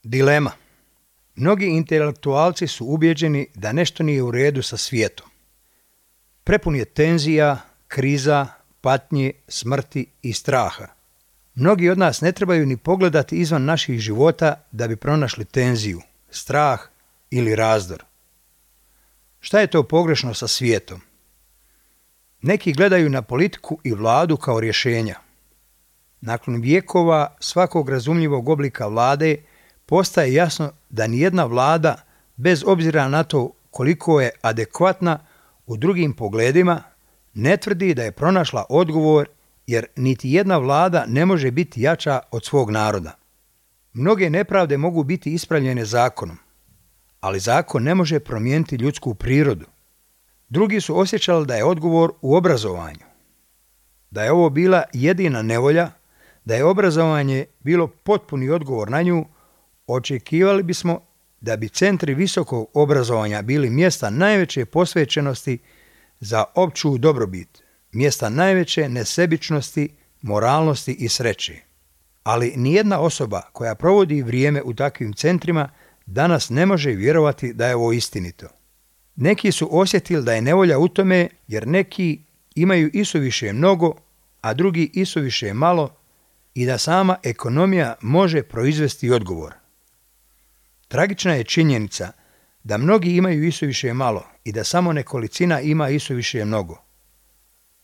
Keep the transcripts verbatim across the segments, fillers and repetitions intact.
Dilema. Mnogi intelektualci su ubjeđeni da nešto nije u redu sa svijetom. Prepun je tenzija, kriza, patnje, smrti i straha. Mnogi od nas ne trebaju ni pogledati izvan naših života da bi pronašli tenziju, strah ili razdor. Šta je to pogrešno sa svijetom? Neki gledaju na politiku i vladu kao rješenja. Nakon vjekova svakog razumljivog oblika vlade postaje jasno da nijedna vlada, bez obzira na to koliko je adekvatna u drugim pogledima, ne tvrdi da je pronašla odgovor, jer niti jedna vlada ne može biti jača od svog naroda. Mnoge nepravde mogu biti ispravljene zakonom, ali zakon ne može promijeniti ljudsku prirodu. Drugi su osjećali da je odgovor u obrazovanju. Da je ovo bila jedina nevolja, da je obrazovanje bilo potpuni odgovor na nju, očekivali bismo da bi centri visokog obrazovanja bili mjesta najveće posvećenosti za opću dobrobit, mjesta najveće nesebičnosti, moralnosti i sreće. Ali nijedna osoba koja provodi vrijeme u takvim centrima danas ne može vjerovati da je ovo istinito. Neki su osjetili da je nevolja u tome jer neki imaju isuviše mnogo, a drugi isuviše malo i da sama ekonomija može proizvesti odgovor. Tragična je činjenica da mnogi imaju isuviše malo i da samo nekolicina ima isuviše mnogo.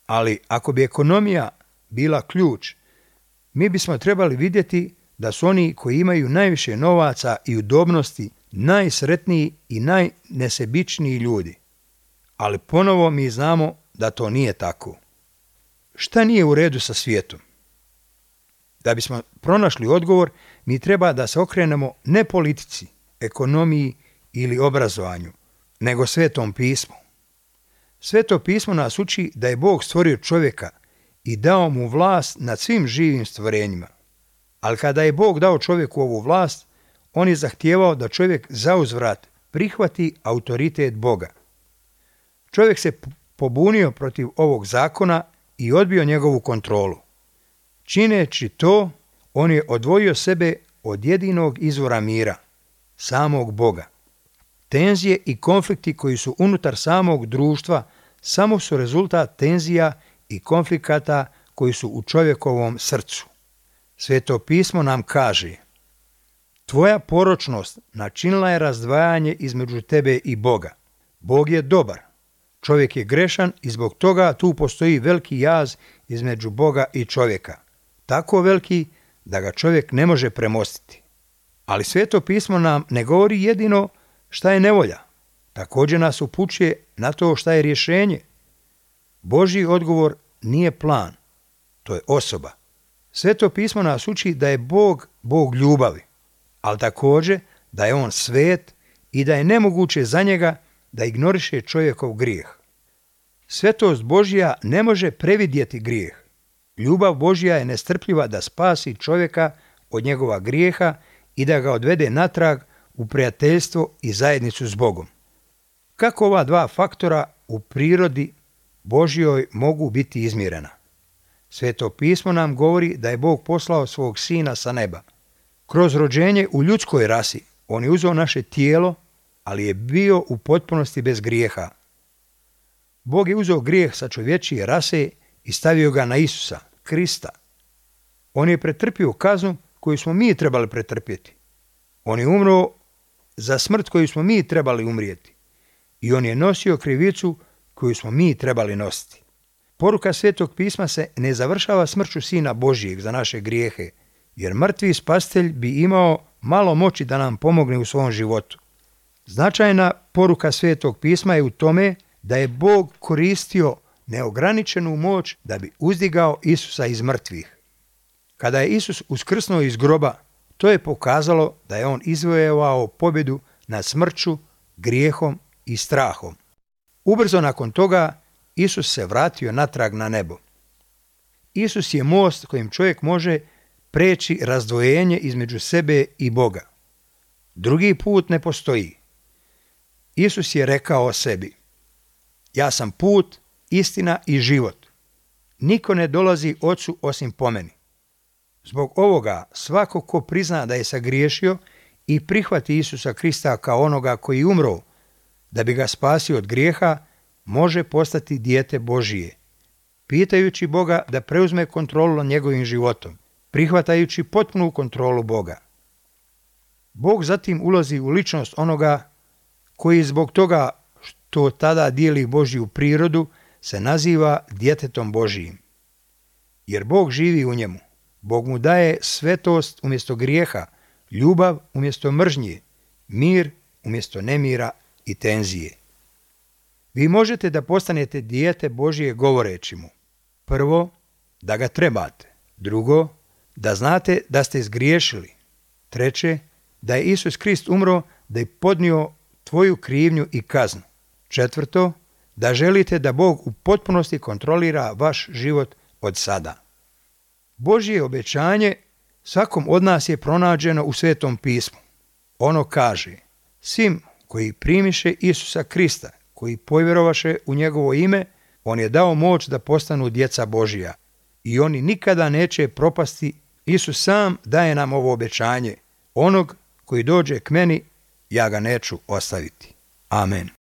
Ali ako bi ekonomija bila ključ, mi bismo trebali vidjeti da su oni koji imaju najviše novaca i udobnosti najsretniji i najnesebičniji ljudi. Ali ponovo mi znamo da to nije tako. Šta nije u redu sa svijetom? Da bismo pronašli odgovor, mi treba da se okrenemo ne politici, ekonomiji ili obrazovanju, nego Svetom pismu. Sveto pismo nas uči da je Bog stvorio čovjeka i dao mu vlast nad svim živim stvorenjima. Ali kada je Bog dao čovjeku ovu vlast, on je zahtijevao da čovjek zauzvrat prihvati autoritet Boga. Čovjek se pobunio protiv ovog zakona i odbio njegovu kontrolu. Čineći to, on je odvojio sebe od jedinog izvora mira, samog Boga. Tenzije i konflikti koji su unutar samog društva samo su rezultat tenzija i konflikata koji su u čovjekovom srcu. Sveto pismo nam kaže: tvoja poročnost načinila je razdvajanje između tebe i Boga. Bog je dobar, čovjek je grešan i zbog toga tu postoji veliki jaz između Boga i čovjeka. Tako veliki da ga čovjek ne može premostiti. Ali Sveto pismo nam ne govori jedino šta je nevolja. Također nas upućuje na to šta je rješenje. Božji odgovor nije plan, to je osoba. Sveto pismo nas uči da je Bog Bog ljubavi, ali također da je on svet i da je nemoguće za njega da ignoriše čovjekov grijeh. Svetost Božja ne može previdjeti grijeh. Ljubav Božja je nestrpljiva da spasi čovjeka od njegova grijeha i da ga odvede natrag u prijateljstvo i zajednicu s Bogom. Kako ova dva faktora u prirodi Božjoj mogu biti izmjerena? Sveto pismo nam govori da je Bog poslao svog sina sa neba. Kroz rođenje u ljudskoj rasi on je uzeo naše tijelo, ali je bio u potpunosti bez grijeha. Bog je uzeo grijeh sa čovječije rase i stavio ga na Isusa, Krista. On je pretrpio kaznu koju smo mi trebali pretrpjeti. On je umro za smrt koju smo mi trebali umrijeti. I on je nosio krivicu koju smo mi trebali nositi. Poruka Svetog pisma se ne završava smrću Sina Božijeg za naše grijehe, jer mrtvi spasitelj bi imao malo moći da nam pomogne u svom životu. Značajna poruka Svetog pisma je u tome da je Bog koristio neograničenu moć da bi uzdigao Isusa iz mrtvih. Kada je Isus uskrsnuo iz groba, to je pokazalo da je on izvojevao pobjedu nad smrću, grijehom i strahom. Ubrzo nakon toga Isus se vratio natrag na nebo. Isus je most kojim čovjek može preći razdvojenje između sebe i Boga. Drugi put ne postoji. Isus je rekao o sebi: ja sam put, istina i život. Niko ne dolazi Ocu osim po meni. Zbog ovoga svako ko prizna da je sagriješio i prihvati Isusa Krista kao onoga koji umro da bi ga spasio od grijeha, može postati dijete Božije, pitajući Boga da preuzme kontrolu nad njegovim životom, prihvatajući potpunu kontrolu Boga. Bog zatim ulazi u ličnost onoga koji zbog toga što tada dijeli Božju prirodu se naziva djetetom Božijim. Jer Bog živi u njemu. Bog mu daje svetost umjesto grijeha, ljubav umjesto mržnje, mir umjesto nemira i tenzije. Vi možete da postanete dijete Božije govoreći mu: prvo, da ga trebate; drugo, da znate da ste zgriješili; treće, da je Isus Krist umro da je podnio tvoju krivnju i kaznu; četvrto, da želite da Bog u potpunosti kontrolira vaš život od sada. Božje obećanje svakom od nas je pronađeno u Svetom pismu. Ono kaže: svim koji primiše Isusa Krista, koji povjerovaše u njegovo ime, on je dao moć da postanu djeca Božija i oni nikada neće propasti. Isus sam daje nam ovo obećanje: onog koji dođe k meni, ja ga neću ostaviti. Amen.